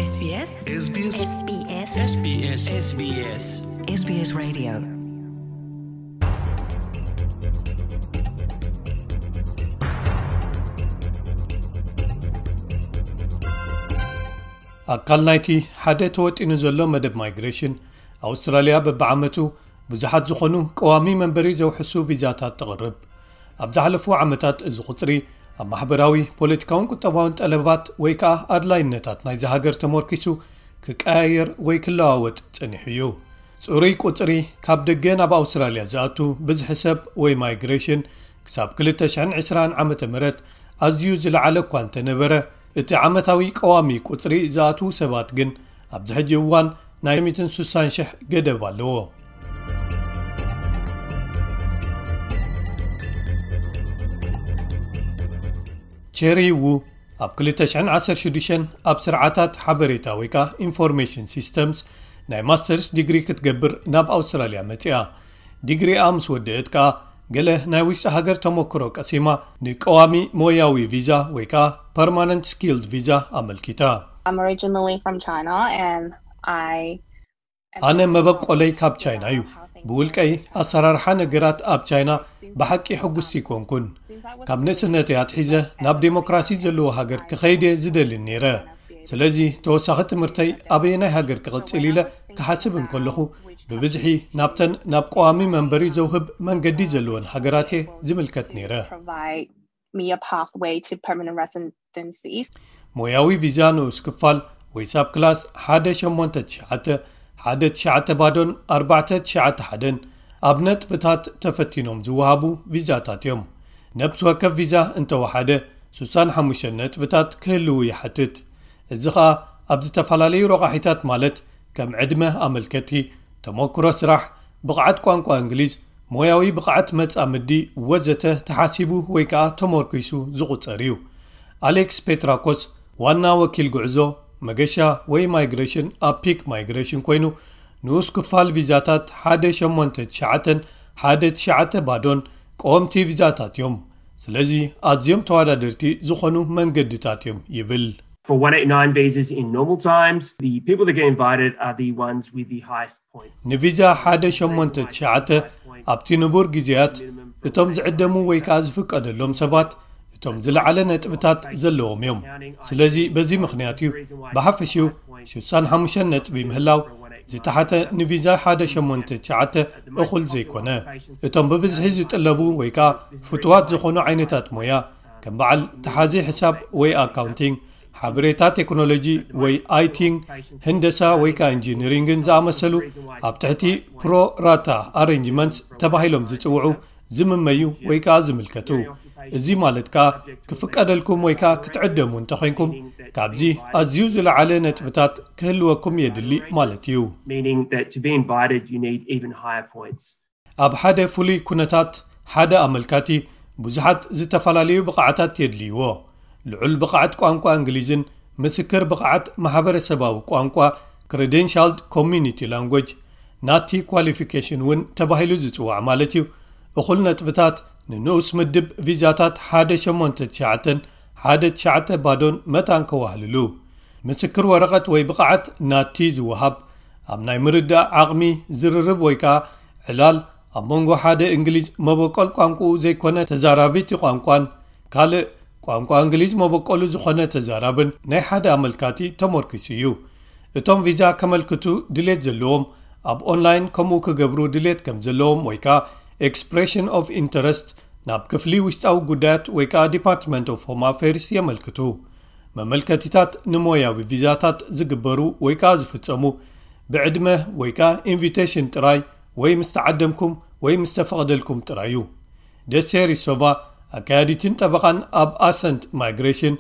SBS SBS SBS SBS SBS SBS Radio. ኣካል ናይቲ ሓደ ተወጢኑ ዘሎ መደብ ማይግሬሽን፣ ኣውስትራልያ በብዓመቱ ብዙሓት ዝኾኑ ቀዋሚ መንበሪ ዘውሕሱ ቪዛታት ተቕርብ። ኣብ ዝሓለፉ ዓመታት እዚ ቁጽሪ ኣብ ማሕበራዊ፣ ፖለቲካውን ቁጠባውን ጠለባት ወይ ከኣ ኣድላይነታት ናይዚ ሃገር ተመርኪሱ ክቀያየር ወይ ክለዋወጥ ጸኒሑ እዩ። ጽሩይ ቁጽሪ ካብ ደገ ናብ ኣውስትራልያ ዝኣቱ ብዝሒ ሰብ ወይ ማይግሬሽን ክሳብ ክልተ ሽሕን ዕስራን ዓመተ ምህረት ኣዝዩ ዝለዓለ እኳ እንተነበረ፣ እቲ ዓመታዊ ቀዋሚ ቁጽሪ ዝኣትዉ ሰባት ግን ኣብዚ ሕጂ እዋን ናይ ሚእትን ስሳን ሽሕ ገደብ ኣለዎ። ቸሪ ዉ ኣብ ክልተ ሽሕን ዓሰርተ ሽዱሽተን ኣብ ስርዓታት ሓበሬታ ወይ ከኣ ኢንፎርሜሽን ሲስተምስ ናይ ማስተርስ ዲግሪ ክትገብር ናብ ኣውስትራልያ መጺኣ። ዲግሪኣ ምስ ወደአት ከኣ ገለ ናይ ውሽጢ ሃገር ተመክሮ ቀሲማ ንቀዋሚ ሞያዊ ቪዛ ወይ ከኣ ፐርማነንት ስኪልድ ቪዛ ኣመልኪታ። I'm originally from China and I ኣነ መበቆለይ ካብ ቻይና እዩ። ብውልቀይ ኣሰራርሓ ነገራት ኣብ ቻይና ብሓቂ ሕጉስቲ ኣይኮንኩን። ካብ ንእስነተይ ኣትሒዘ ናብ ዴሞክራሲ ዘለዎ ሃገር ክኸይድ እየ ዝደሊ ነይረ። ስለዚ ተወሳኺ ትምህርተይ ኣበየናይ ሃገር ክቕጽል ኢለ ክሓስብ እንከለኹ ብብዝሒ ናብተን ናብ ቀዋሚ መንበሪ ዘውህብ መንገዲ ዘለወን ሃገራት እየ ዝምልከት ነይረ። me a pathway to permanent residency. ሞያዊ ቪዛ ንኡስ ክፋል ወይ ሳብ ክላስ ሓደ ሸሞንተ ትሽዓተ ሓደ ትሽዓተ ባዶን ኣርባዕተ ትሽዓተ ሓደን ኣብ ነጥብታት ተፈቲኖም ዝወሃቡ ቪዛታት እዮም። ነብሲ ወከፍ ቪዛ እንተወሓደ ስሳን ሓሙሽተን ነጥብታት ክህልዉ ይሓትት። እዚ ኸኣ ኣብ ዝተፈላለዩ ረቋሒታት ማለት ከም ዕድመ ኣመልከቲ፣ ተመክሮ ስራሕ፣ ብቕዓት ቋንቋ እንግሊዝ፣ ሞያዊ ብቕዓት መጻምዲ ወዘተ ተሓሲቡ ወይ ከኣ ተመርኪሱ ዝቑጸር እዩ። ኣሌክስ ፔትራኮስ ዋና ወኪል ጉዕዞ፣ መገሻ ወይ ማይግሬሽን ኣብ ፒክ ማይግሬሽን ኮይኑ ንኡስ ክፋል ቪዛታት ሓደ ሸሞንተ ትሽዓተን ሓደ ትሽዓተ ባዶን ቀወምቲ ቪዛታት እዮም። ስለዚ ኣዝዮም ተወዳደርቲ ዝኾኑ መንገድታት እዮም ይብል። For one eight nine visas in normal times, the people that get invited are the ones with the highest points. ንቪዛ ሓደ ሸሞንተ ትሽዓተ ኣብቲ ንቡር ግዜያት እቶም ዝዕደሙ ወይ ከኣ ዝፍቀደሎም ሰባት እቶም ዝለዓለ ነጥብታት ዘለዎም እዮም። ስለዚ በዚ ምኽንያት እዩ ብሓፈሽኡ ሽሳን ሓሙሽተን ነጥቢ ምህላው ዝተሓተ ንቪዛ ሓደ ሸሞንተ ትሽዓተ እኹል ዘይኮነ። እቶም ብብዝሒ ዝጥለቡ ወይ ከኣ ፍቱዋት ዝኾኑ ዓይነታት ሞያ ከም በዓል ተሓዚ ሕሳብ ወይ ኣካውንቲንግ፣ ሓበሬታ ቴክኖሎጂ ወይ ኣይቲን፣ ህንደሳ ወይ ከኣ ኢንጂነሪንግን ዝኣመሰሉ ኣብ ትሕቲ ፕሮ ራታ ኣሬንጅመንትስ ተባሂሎም ዝጽውዑ ዝምመዩ ወይ ከኣ ዝምልከቱ። እዚ ማለት ከኣ ክፍቀደልኩም ወይ ከኣ ክትዕደሙ እንተኾይንኩም ካብዚ ኣዝዩ ዝለዓለ ነጥብታት ክህልወኩም የድሊ ማለት እዩ። Meaning that to be invited, you need even higher points. ኣብ ሓደ ፍሉይ ኩነታት ሓደ ኣመልካቲ ብዙሓት ዝተፈላለዩ ብቕዓታት የድልይዎ። ልዑል ብቕዓት ቋንቋ እንግሊዝን ምስክር ብቕዓት ማሕበረሰባዊ ቋንቋ፣ ክሬደንሻልድ ኮሚኒቲ ላንጉጅ፣ ናቲ ኳሊፊኬሽን እውን ተባሂሉ ዝጽዋዕ ማለት እዩ። እኹል ነጥብታት ንንኡስ ምድብ ቪዛታት ሓደ ሸሞንተ ትሽዓተን ሓደ ትሽዓተ ባዶን መታን ከዋህልሉ። ምስክር ወረቐት ወይ ብቕዓት ናቲ ዝወሃብ ኣብ ናይ ምርዳእ ዓቕሚ ዝርርብ ወይ ከኣ ዕላል ኣብ መንጎ ሓደ እንግሊዝ መበቆል ቋንቋኡ ዘይኮነ ተዛራቢ እቲ ቋንቋን ካልእ ቋንቋ እንግሊዝ መበቆሉ ዝኾነ ተዛራብን ናይ ሓደ ኣመልካቲ ተመርኪሱ እዩ። እቶም ቪዛ ከመልክቱ ድሌት ዘለዎም ኣብ ኦንላይን ከምኡ ክገብሩ ድሌት ከም ዘለዎም ወይ ከኣ ኤክስፕሬሽን ኦፍ ኢንተረስት ናብ ክፍሊ ውሽጣዊ ጉዳያት ወይ ከኣ ዲፓርትመንት ኦፍ ሆም ኣፌርስ የመልክቱ። መመልከቲታት ንሞያዊ ቪዛታት ዝግበሩ ወይ ከኣ ዝፍጸሙ ብዕድመ ወይ ከኣ ኢንቪቴሽን ጥራይ ወይ ምስ ተዓደምኩም ወይ ምስ ተፈቕደልኩም ጥራይ እዩ። ደሴሪ ሶቫ ኣካያዲትን ጠበቓን ኣብ ኣሰንት ማይግሬሽን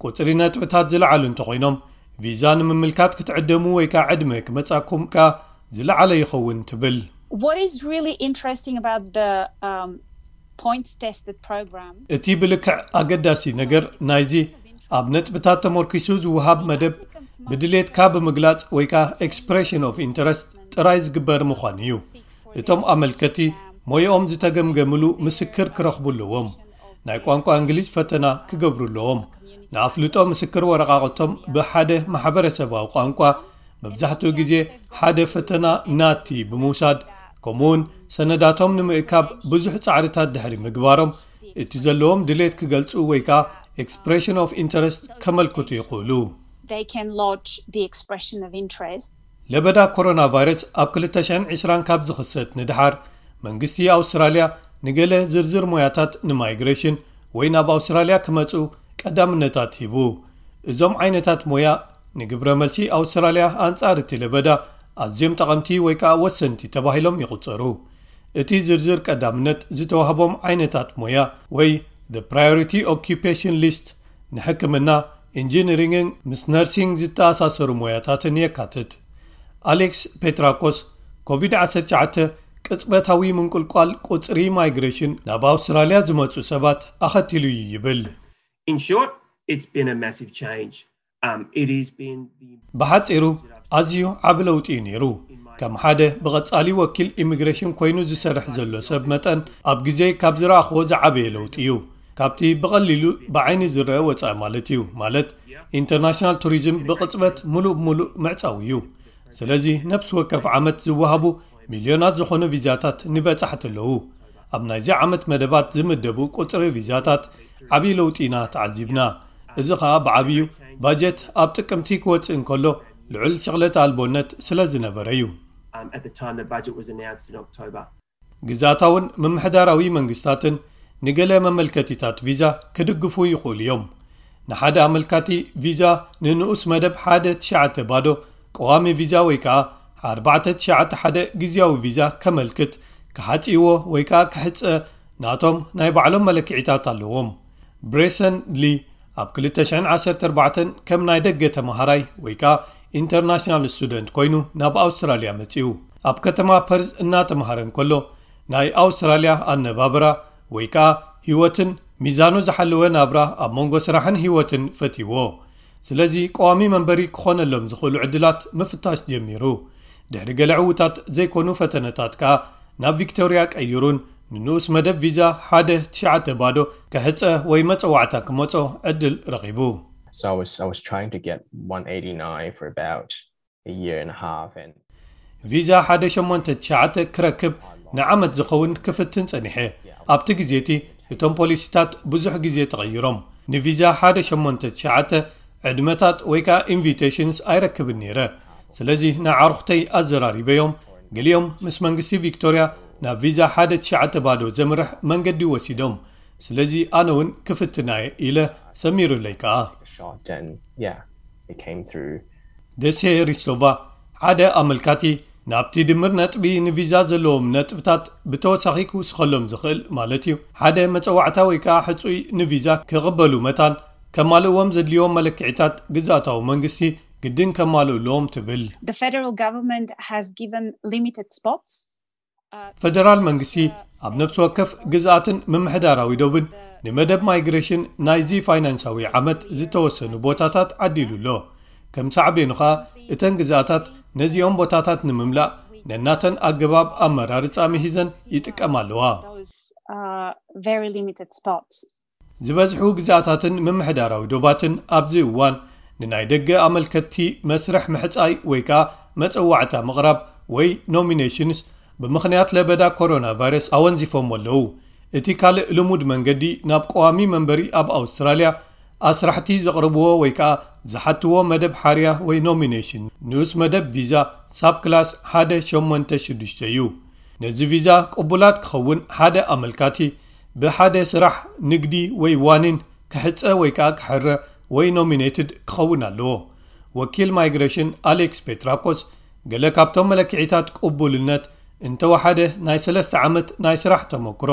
ቁጽሪ ነጥብታት ዝለዓሉ እንተኾይኖም ቪዛ ንምምልካት ክትዕደሙ ወይ ከኣ ዕድመ ክመጻኩም ከኣ ዝለዓለ ይኸውን ትብል። What is really interesting about the um, points tested program? እቲ ብልክዕ ኣገዳሲ ነገር ናይዚ ኣብ ነጥብታት ተመርኪሱ ዝወሃብ መደብ ብድሌትካ ብምግላጽ ወይ ከኣ ኤክስፕሬሽን ኦፍ ኢንተረስት ጥራይ ዝግበር ምዃኑ እዩ። እቶም ኣመልከቲ ሞያኦም ዝተገምገምሉ ምስክር ክረኽቡ ኣለዎም። ናይ ቋንቋ እንግሊዝ ፈተና ክገብሩ ኣለዎም። ንኣፍልጦ ምስክር ወረቓቕቶም ብሓደ ማሕበረሰባዊ ቋንቋ፣ መብዛሕትኡ ግዜ ሓደ ፈተና ናቲ ብምውሳድ፣ ከምኡውን ሰነዳቶም ንምእካብ ብዙሕ ጻዕርታት ድሕሪ ምግባሮም፣ እቲ ዘለዎም ድሌት ክገልጹ ወይ ከኣ expression of interest ከመልክቱ ይኽእሉ። They can lodge the expression of interest. ለበዳ ኮሮና ቫይረስ ኣብ ክልተ ሽሕን ዕስራን ካብ ዝኽሰት ንድሓር፣ መንግስቲ ኣውስትራልያ ንገለ ዝርዝር ሞያታት ንማይግሬሽን ወይ ናብ ኣውስትራልያ ክመጹ ቀዳምነታት ሂቡ። እዞም ዓይነታት ሞያ ንግብረ መልሲ ኣውስትራልያ ኣንጻር እቲ ለበዳ ኣዝዮም ጠቐምቲ ወይ ከኣ ወሰንቲ ተባሂሎም ይቑጸሩ። እቲ ዝርዝር ቀዳምነት ዝተዋህቦም ዓይነታት ሞያ ወይ the priority occupation list ንሕክምና፣ ኢንጂነሪንግን ምስ ነርሲንግ ዝተኣሳሰሩ ሞያታትን የካትት። ኣሌክስ ፔትራኮስ፣ ኮቪድ ዓሰርተ ትሽዓተ ቅጽበታዊ ምንቁልቋል ቁጽሪ ማይግሬሽን ናብ ኣውስትራልያ ዝመጹ ሰባት ኣኸቲሉ እዩ ይብል። In short, it's been a massive change. Um, it has been the ብሓጺሩ ኣዝዩ ዓቢ ለውጢ እዩ ነይሩ። ከም ሓደ ብቐጻሊ ወኪል ኢሚግሬሽን ኮይኑ ዝሰርሕ ዘሎ ሰብ መጠን፣ ኣብ ግዜ ካብ ዝረኣኽዎ ዝዓበየ ለውጢ እዩ። ካብቲ ብቐሊሉ ብዓይኒ ዝረአ ወጻኢ ማለት እዩ። ማለት፣ ኢንተርናሽናል ቱሪዝም ብቕጽበት ሙሉእ ብሙሉእ ምዕጻው እዩ። ስለዚ ነፍሲ ወከፍ ዓመት ዝወሃቡ ሚልዮናት ዝኾኑ ቪዛታት ንበጻሕቲ ኣለዉ። ኣብ ናይዚ ዓመት መደባት ዝምደቡ ቁጽሪ ቪዛታት ዓቢ ለውጢ ኢና ተዓዚብና። እዚ ኸኣ ብዓብዩ ባጀት ኣብ ጥቅምቲ ክወጽእ እንከሎ ልዑል ሽቕለት ኣልቦነት ስለ ዝነበረ እዩ። Um, at the time the budget was announced in October. ግዝኣታውን ምምሕዳራዊ መንግስታትን ንገለ መመልከቲታት ቪዛ ክድግፉ ይኽእሉ እዮም። ንሓደ ኣመልካቲ ቪዛ ንንኡስ መደብ ሓደ ትሽዓተ ባዶ ቀዋሚ ቪዛ ወይ ከኣ ኣርባዕተ ትሽዓተ ሓደ ግዝያዊ ቪዛ ከመልክት፣ ክሓጽይዎ ወይ ከኣ ክሕጸ ናቶም ናይ ባዕሎም መለክዒታት ኣለዎም። ብሬሰን ሊ ኣብ ክልተ ሽሕን ዓሰርተ ኣርባዕተን ከም ናይ ደገ ተመሃራይ ወይ ከኣ ኢንተርናሽናል ስቱደንት ኮይኑ ናብ ኣውስትራልያ መጺኡ። ኣብ ከተማ ፐርዝ እናተምሃረ እንከሎ ናይ ኣውስትራልያ ኣነባብራ ወይ ከኣ ህይወትን ሚዛኑ ዝሓለወ ናብራ ኣብ መንጎ ስራሕን ህይወትን ፈትይዎ። ስለዚ ቀዋሚ መንበሪ ክኾነሎም ዝኽእሉ ዕድላት ምፍታሽ ጀሚሩ። ድሕሪ ገለ ዕዉታት ዘይኮኑ ፈተነታት ከኣ ናብ ቪክቶርያ ቀይሩን ንንኡስ መደብ ቪዛ ሓደ ትሽዓተ ባዶ ክሕጸ ወይ መጸዋዕታ ክመጾ ዕድል ረኺቡ። So I was I was trying to get one eighty-nine for about a year and a half, and ቪዛ ሓደ ሸሞንተ ትሽዓተ ክረክብ ንዓመት ዝኸውን ክፍትን ጸኒሐ። ኣብቲ ግዜ እቲ እቶም ፖሊሲታት ብዙሕ ግዜ ተቐይሮም። ንቪዛ ሓደ ሸሞንተ ትሽዓተ ዕድመታት ወይ ከኣ ኢንቪቴሽንስ ኣይረክብን ነይረ። ስለዚ ንኣዕሩኽተይ ኣዘራሪበዮም፣ ገሊኦም ምስ መንግስቲ ቪክቶርያ ናብ ቪዛ ሓደ ትሽዓተ ባዶ ዘምርሕ መንገዲ ወሲዶም። ስለዚ ኣነ እውን ክፍትና ኢለ ሰሚሩለይ ከኣ። shot, and yeah, it came through. ደሴ ሪስቶቫ ሓደ ኣመልካቲ ናብቲ ድምር ነጥቢ ንቪዛ ዘለዎም ነጥብታት ብተወሳኺ ክውስኸሎም ዝኽእል ማለት እዩ። ሓደ መጸዋዕታ ወይ ከኣ ሕጹይ ንቪዛ ክቕበሉ መታን ከማልእዎም ዘድልዮም መለክዒታት ግዝኣታዊ መንግስቲ ግድን ከማልኡ ኣለዎም ትብል። The federal government has given limited spots. ፈደራል መንግስቲ ኣብ ነፍሲ ወከፍ ግዝኣትን ምምሕዳራዊ ዶብን ንመደብ ማይግሬሽን ናይዚ ፋይናንሳዊ ዓመት ዝተወሰኑ ቦታታት ዓዲሉ ኣሎ። ከም ሳዕቤኑ ኸኣ እተን ግዝኣታት ነዚኦም ቦታታት ንምምላእ ነናተን ኣገባብ ኣመራርጻ ምሂዘን ይጥቀማ ኣለዋ። Those are very limited spots. ዝበዝሑ ግዝኣታትን ምምሕዳራዊ ዶባትን ኣብዚ እዋን ንናይ ደገ ኣመልከትቲ መስርሕ ምሕጻይ ወይ ከኣ መጸዋዕታ ምቕራብ ወይ ኖሚኔሽንስ ብምኽንያት ለበዳ ኮሮና ቫይረስ ኣወንዚፎም ኣለዉ። እቲ ካልእ ልሙድ መንገዲ ናብ ቀዋሚ መንበሪ ኣብ ኣውስትራልያ ኣስራሕቲ ዘቕርብዎ ወይ ከኣ ዝሓትዎ መደብ ሓርያ ወይ ኖሚኔሽን ንኡስ መደብ ቪዛ ሳብ ክላስ ሓደ ሸሞንተ ሽዱሽተ እዩ። ነዚ ቪዛ ቅቡላት ክኸውን ሓደ ኣመልካቲ ብሓደ ስራሕ፣ ንግዲ ወይ ዋኒን ክሕጸ ወይ ከኣ ክሕረ ወይ ኖሚኔትድ ክኸውን ኣለዎ። ወኪል ማይግሬሽን ኣሌክስ ፔትራኮስ ገለ ካብቶም መለክዒታት ቅቡልነት እንተወሓደ ናይ ሰለስተ ዓመት ናይ ስራሕ ተመክሮ፣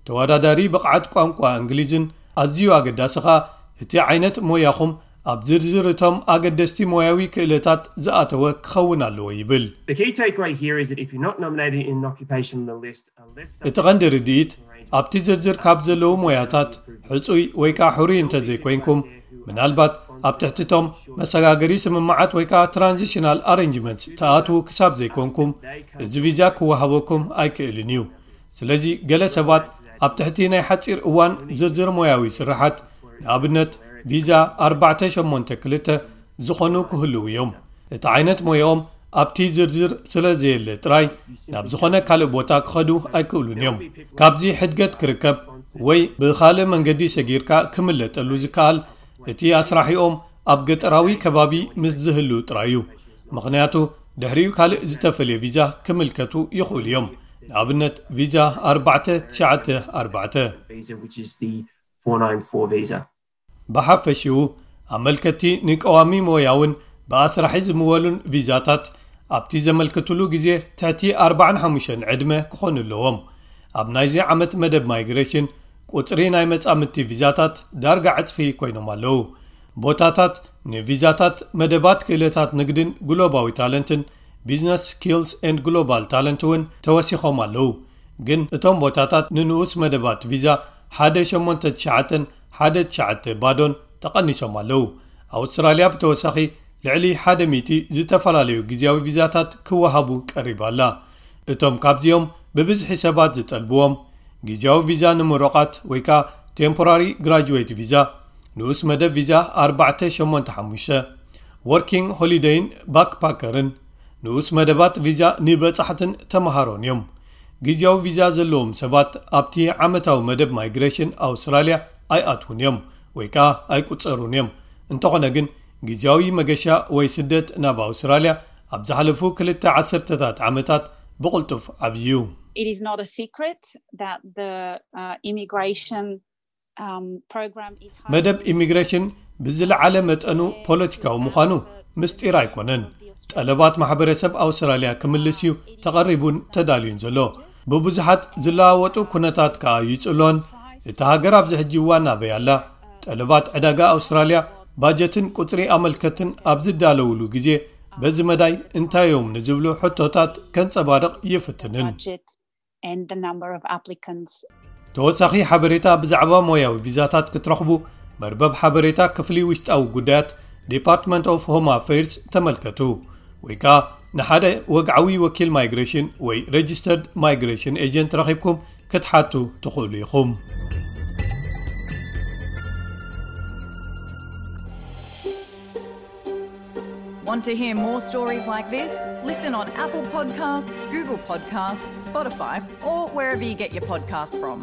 ተወዳዳሪ ብቕዓት ቋንቋ እንግሊዝን ኣዝዩ ኣገዳሲ ኸኣ እቲ ዓይነት ሞያኹም ኣብ ዝርዝር እቶም ኣገደስቲ ሞያዊ ክእለታት ዝኣተወ ክኸውን ኣለዎ ይብል። The key takeaway here is that if you're not nominated in an occupation on the list, unless እቲ ቀንዲ ርድኢት ኣብቲ ዝርዝር ካብ ዘለዉ ሞያታት ሕጹይ ወይ ከኣ ሕሩይ እንተዘይኮይንኩም፣ ምናልባት ኣብ ትሕቲ እቶም መሰጋገሪ ስምምዓት ወይ ከኣ ትራንዚሽናል ኣሬንጅመንትስ ትኣትዉ ክሳብ ዘይኮንኩም፣ እዚ ቪዛ ክወሃበኩም ኣይክእልን እዩ። ስለዚ ገለ ሰባት ኣብ ትሕቲ ናይ ሓጺር እዋን ዝርዝር ሞያዊ ስርሓት፣ ንኣብነት ቪዛ ኣርባዕተ ሸሞንተ ክልተ ዝኾኑ ክህልዉ እዮም። እቲ ዓይነት ሞያኦም ኣብቲ ዝርዝር ስለ ዘየለ ጥራይ ናብ ዝኾነ ካልእ ቦታ ክኸዱ ኣይክእሉን እዮም። ካብዚ ሕድገት ክርከብ ወይ ብኻልእ መንገዲ ሰጊርካ ክምለጠሉ ዝከኣል እቲ ኣስራሒኦም ኣብ ገጠራዊ ከባቢ ምስ ዝህሉ ጥራይ እዩ። ምኽንያቱ ድሕሪኡ ካልእ ዝተፈልየ ቪዛ ክምልከቱ ይኽእሉ እዮም። ንኣብነት ቪዛ ኣርባዕተ ትሽዓተ ኣርባዕተ። visa, which is the four nine four visa. ብሓፈሽኡ ኣመልከቲ ንቀዋሚ ሞያውን ብኣስራሒ ዝምወሉን ቪዛታት ኣብቲ ዘመልክትሉ ግዜ ትሕቲ ኣርባዓን ሓሙሽተን ዕድመ ክኾኑ ኣለዎም። ኣብ ናይዚ ዓመት መደብ ማይግሬሽን ቁጽሪ ናይ መጻምድቲ ቪዛታት ዳርጋ ዕጽፊ ኮይኖም ኣለዉ። ቦታታት ንቪዛታት መደባት ክእለታት ንግድን ግሎባዊ ታለንትን፣ ቢዝነስ ስኪልስ ኤንድ ግሎባል ታለንት እውን ተወሲኾም ኣለዉ። ግን እቶም ቦታታት ንንኡስ መደባት ቪዛ ሓደ ሸሞንተ ትሽዓተን ሓደ ትሽዓተ ባዶን ተቐኒሶም ኣለዉ። ኣውስትራልያ ብተወሳኺ ልዕሊ ሓደ ሚእቲ ዝተፈላለዩ ግዜያዊ ቪዛታት ክወሃቡ ቀሪባ ኣላ። እቶም ካብዚኦም ብብዝሒ ሰባት ዝጠልብዎም ግዜያዊ ቪዛ ንምሩቓት ወይ ከኣ ቴምፖራሪ ግራጁዌት ቪዛ፣ ንኡስ መደብ ቪዛ ኣርባዕተ ሸሞንተ ሓሙሽተ፣ ወርኪንግ ሆሊደይን ባክፓከርን፣ ንኡስ መደባት ቪዛ ንበጻሕትን ተመሃሮን እዮም። ግዜያዊ ቪዛ ዘለዎም ሰባት ኣብቲ ዓመታዊ መደብ ማይግሬሽን ኣውስትራልያ ኣይኣትዉን እዮም ወይ ከኣ ኣይቁጸሩን እዮም። እንተኾነ ግን ግዜያዊ መገሻ ወይ ስደት ናብ ኣውስትራልያ ኣብ ዝሓለፉ ክልተ ዓሰርተታት ዓመታት ብቕልጡፍ ዓብዩ እዩ። It is not a secret that the uh, immigration um, program is መደብ ኢሚግሬሽን ብዝለዓለ መጠኑ ፖለቲካዊ ምዃኑ ምስጢር ኣይኮነን። ጠለባት ማሕበረሰብ ኣውስትራልያ ክምልስ እዩ ተቐሪቡን ተዳልዩን ዘሎ። ብብዙሓት ዝለዋወጡ ኩነታት ከኣ ይጽሎን። እታ ሃገር ኣብዚ ሕጂ እዋን ኣበይ ኣላ? ጠለባት ዕዳጋ ኣውስትራልያ፣ ባጀትን ቁጽሪ ኣመልከትን ኣብ ዝዳለውሉ ግዜ በዚ መዳይ እንታይ እዮም ንዝብሉ ሕቶታት ከንጸባርቕ ይፍትንን። budget and the number of applicants. ተወሳኺ ሓበሬታ ብዛዕባ ሞያዊ ቪዛታት ክትረኽቡ መርበብ ሓበሬታ ክፍሊ ውሽጣዊ ጉዳያት ዲፓርትመንት ኦፍ ሆም ኣፌርስ ተመልከቱ፣ ወይ ከኣ ንሓደ ወግዓዊ ወኪል ማይግሬሽን ወይ ሬጅስተርድ ማይግሬሽን ኤጀንት ረኺብኩም ክትሓቱ ትኽእሉ ኢኹም። Want to hear more stories like this? Listen on Apple Podcasts, Google Podcasts, Spotify, or wherever you get your podcasts from.